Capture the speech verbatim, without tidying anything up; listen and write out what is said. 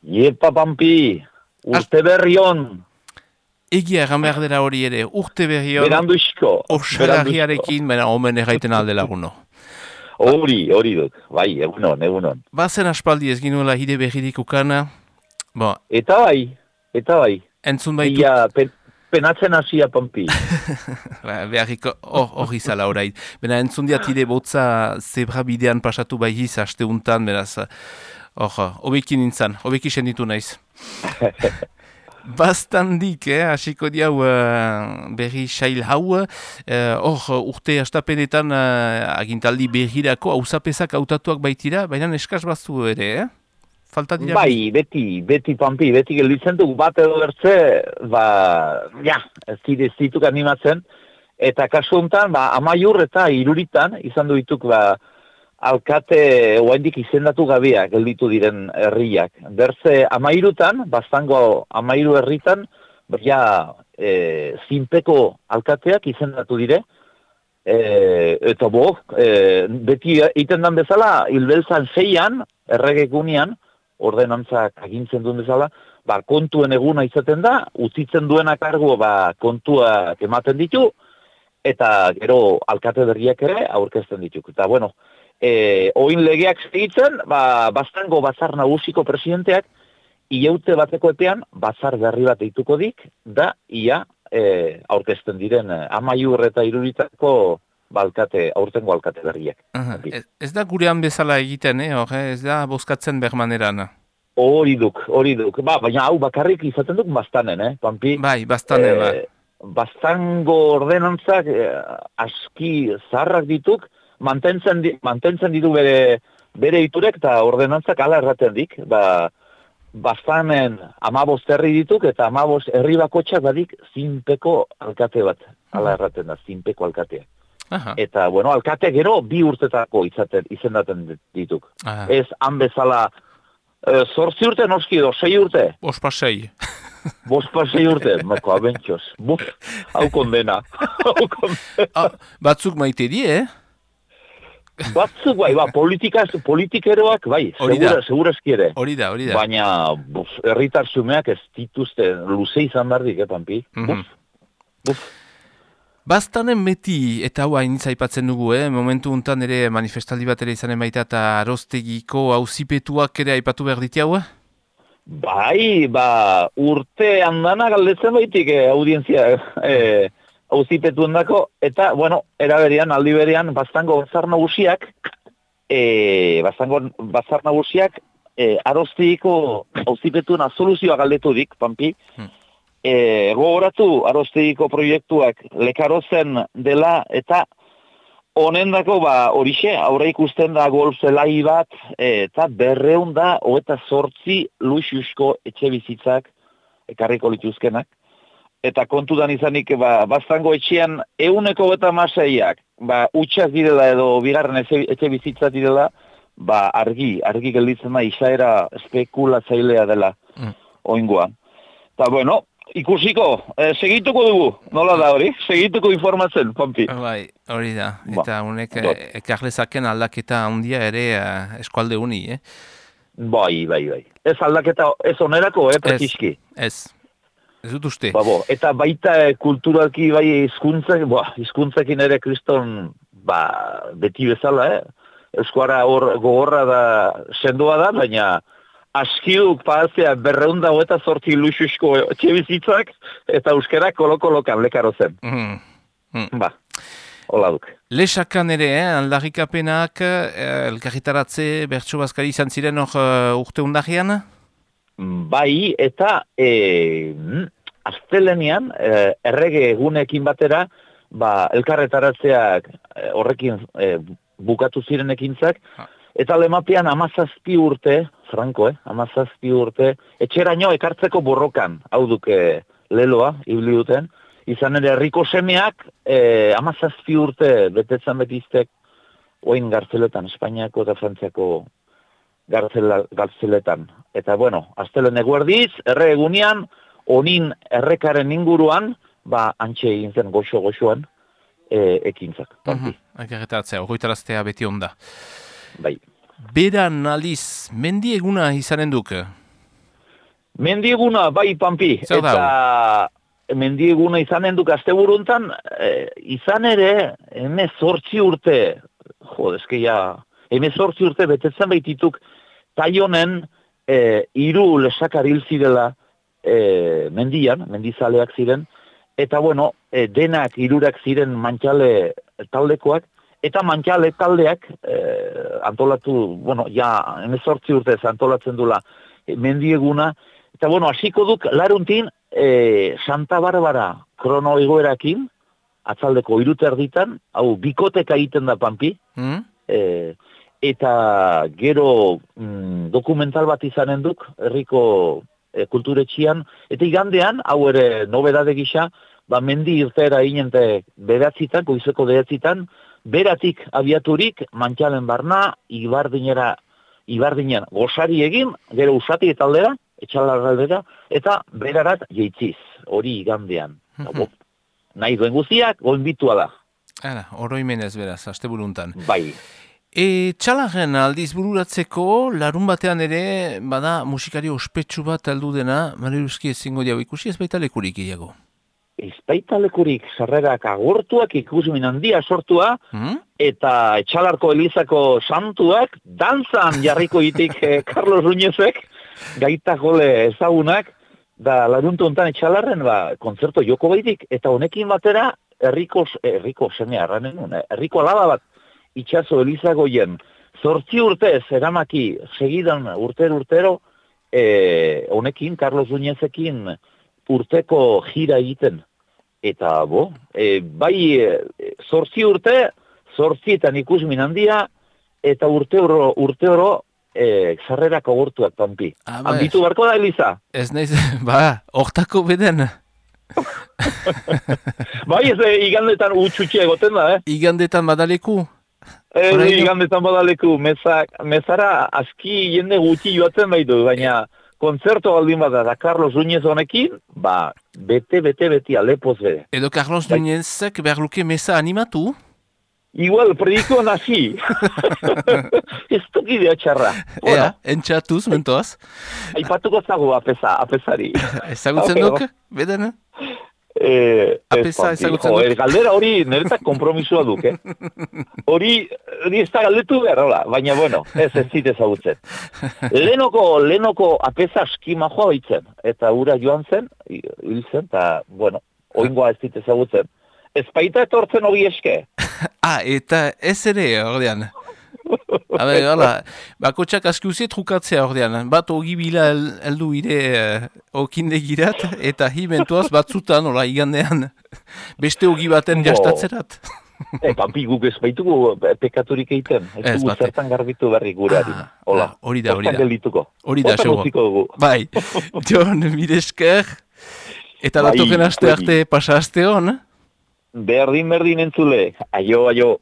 Iepa Pampi, urte berri on. Egia egan behar dela hori ere, urte berri on. Beranduzko. Osagarriarekin, baina omen erraiten alde laguno. Hori, hori dut, bai, egunon, egunon. Bazen aspaldi ez ginuela hide berririk ukana. Bo, Eta bai, eta bai. entzun baitut. Ia, pen, penatzen hasia Pampi. Ba, beharriko hor izala orai. Bena entzun diat hide botza zebra bidean pasatu bai hiz haste untan, beraz, hor, hobekin nintzen, hobeki senditu naiz. Bastandik, eh, hasiko diau uh, berri sail hau, hor uh, urte astapenetan uh, agintaldi berrirako hausapezak hautatuak baitira, baina eskaz baztu ere, eh? Falta dira? Bai, beti, beti Pampi, beti gelditzen duk bat edo bertze, ba, ja, ez dira ez dituk animatzen, eta kasu honetan, ba, amaiur eta iruritan, izan du dituk, ba, alkate oaindik izendatu gabea gelditu diren herriak. Berze amairutan, bastango amairu herritan, ja, e, zinpeko alkateak izendatu dire, e, eta bo, e, beti egiten dan bezala, hilbeltzan zeian, erregekunian, ordenantzak agintzen duen bezala, ba, kontuen eguna izaten da, utzitzen duena kargo, ba, kontuak ematen ditu, eta gero alkate berriak ere aurkezten ditu. Eta, bueno, E, oin legeak segitzen, ba, bastango batzar nagusiko presidenteak, iaute bateko epean, batzar berri bat eituko dik, da, ia, e, aurkezten diren, amaiur eta iruritako balkate, aurtengo alkate berriak. Uh, ez, ez da gurean bezala egiten, eh, hor, ez da bozkatzen bermaneran. Hori duk, hori duk. Ba, baina hau bakarrik izaten duk bastanen, eh, Pampi? Bai, bastanen, ba. Bastango ordenantzak eh, aski zaharrak dituk, Mantentzen, di, mantentzen ditu bere, bere iturek eta ordenantzak ala erraten dik. Ba, bastanen amabost herri dituk eta amabost herri bakotxak badik zinpeko alkate bat. Ala erraten da, zinpeko alkatea. Aha. Eta, bueno, alkate gero bi urtetako izaten, izendaten dituk. Aha. Ez han bezala e, zortzi urte noski edo, sei urte? Bospa sei. Bospa sei urte, mako abentxoz. Buf, hau kondena. Hau kondena. Ah, batzuk maite die, eh? Batzuk bai, ba, politikaz, politikeroak bai, segura, segurazki ere. Hori da, hori da. Baina, buf, herritar zumeak ez dituzte luze izan bardik, eh, Pampi? Mm -hmm. Buf, buf. Bastanen beti, eta hau hain zaipatzen dugu, eh? Momentu untan ere manifestaldi bat ere izanen baita eta aroztegiko auzipetuak ere aipatu behar diti hau? Bai, ba, urte handana galdetzen baitik, eh, audientzia, eh, auzipetuen dako, eta, bueno, eraberian, aldi berean, bastango bazar nagusiak, e, bastango bazar nagusiak, e, aroztegiko auzipetuen soluzioa galdetu dik, Pampi, hmm. e, gogoratu aroztegiko proiektuak lekarozen dela, eta honendako, ba, horixe, aurre ikusten da golf zelai bat, e, eta berreun da, hoeta sortzi luxusko etxe bizitzak ekarriko lituzkenak. Eta kontudan izanik, ba, bastango etxean euneko eta maseiak, ba, utxak direla edo bigarren etxe, etxe bizitzat direla, ba, argi, argi gelditzen da, izaera spekulatzailea dela mm. oingoa. Eta, bueno, ikusiko, eh, segituko dugu, nola da hori? Segituko informatzen, Pampi. Bai, hori da, eta honek ba, ekarlezaken aldaketa handia ere uh, eskualde uni, eh? Bai, bai, bai. Ez aldaketa, ez onerako, eh, prekiski. Ez, ez. Ez dut uste. Ba, bo, eta baita kulturalki bai hizkuntzak, ba, hizkuntzakin ere kriston, ba, beti bezala, eh? Euskara hor gogorra da, sendoa da, baina askiduk pahazea berreunda eta zortzi luxusko etxe bizitzak, eta euskara kolokolokan lekaro zen. Mm. Mm. Ba, hola duk. Lesakan ere, eh? Aldarrikapenak, eh, elkarritaratze, bertso bazkari izan ziren hor uh, urte undagian? Bai, eta e, astelenean, e, errege egunekin batera, ba, elkarretaratzeak e, horrekin e, bukatu ziren ekintzak, eta lemapean amazazpi urte, franko, eh, amazazpi urte, etxeraino ekartzeko borrokan, hau duke leloa, ibili duten, izan ere herriko semeak, e, amazazpi urte betetzen betiztek, oin gartzeletan, Espainiako eta Frantziako Gartzela, gartzeletan. Eta, bueno, astelen eguerdiz, erre egunean, onin errekaren inguruan, ba, antxe egin zen goxo-goxoan, e, ekintzak. Mm-hmm. Ekarretatzea, horretaraztea beti onda. Bai. Beran aliz, mendi eguna izanen duk? Mendieguna, bai, Pampi. Zer da Eta mendieguna izanen duk asteburuntan, e, izan ere, heme zortzi urte, jo, eske ja, heme zortzi urte betetzen baitituk, taionen e, iru lesakar hil zirela e, mendian, mendizaleak ziren, eta bueno, e, denak irurak ziren mantxale taldekoak, eta mantxale taldeak e, antolatu, bueno, ja, heme zortzi urte antolatzen dula e, mendieguna, eta bueno, hasiko duk laruntin, e, Santa Barbara krono egoerakin, atzaldeko iruterditan, hau bikoteka egiten da Pampi, mm? e, eta gero mm, dokumental bat izanen duk, herriko e, kulturetxian, eta igandean, hau ere nobedade gisa, ba, mendi irtera inente beratzitan, goizeko beratzitan, beratik abiaturik, mantxalen barna, ibardinera, ibardinen gozari egin, gero usati eta aldera, etxalarraldera, eta berarat jeitziz, hori igandean. Mm-hmm. Nahi duen guztiak, goinbitua da. Ara, oroimenez beraz, asteburuntan. Bai. E, txalarren aldiz bururatzeko, larun batean ere, bada musikari ospetsu bat aldu dena, Mariluzki ezingo diago ikusi, ez baita lekurik gehiago. Ez baita lekurik sarrerak agortuak, ikusimin handia sortua, mm? Eta etxalarko elizako santuak, dantzan jarriko itik eh, Carlos Ruñezek, gaita jole ezagunak, da laruntu ontan etxalarren, ba, kontzerto joko baitik, eta honekin batera, herriko, herriko semea, erranen, herriko alaba bat, itxaso elizagoien, zortzi urtez, eramaki, segidan urtero-urtero, e, honekin, Carlos Ruñezekin, urteko jira egiten. Eta, bo, e, bai, e, zortzi urte, zortzietan ikusmin handia, eta urte oro, urte oro, e, zarrerak agortuak, Pampi. Ah, ba, Handitu barko da, Eliza? Ez naiz, ba, hortako beden. Bai, ez e, igandetan utxutxe egoten da, eh? Igandetan badaleku? E, igandetan badaleku, mezak, mezara aski jende gutxi joatzen baitu, baina kontzerto baldin bada da Carlos Núñez honekin, ba, bete, bete, beti alepoz bede. Edo Carlos bai. Núñezek behar luke meza animatu? Igual, prediko nazi. Ez tukidea txarra. Ea, bueno. Entxatuz, mentoaz. Aipatuko zago apesa, apesari. Ezagutzen duk, beden? Eh, Apesa ezagutzen duk. Galdera hori niretzak kompromisua duk, eh? Hori, hori ez da galdetu behar, hola. Baina, bueno, ez ez zit ezagutzen. Lenoko, lenoko apesa eskima joa baitzen. Eta ura joan zen, hil zen, eta, bueno, oingoa ez zit ezagutzen. Ez baita etortzen hori eske. Ah, eta ez ere, ordean. Habe, hala, bakotxak aski uzi trukatzea ordean. Bat ogibila heldu ire uh, okindegirat, eta hi mentuaz batzutan, hola, igandean, beste ogi baten jastatzerat. E, Pampi, guk ez baitugu pekaturik egiten. Ez dugu zertan garbitu berri gureari. Hola, hori da, hori da. Hori da, seguro. Bai, Jon, mire esker, eta bai, datoken aste arte pasa aste hon. Berdin, berdin entzule. Aio, aio.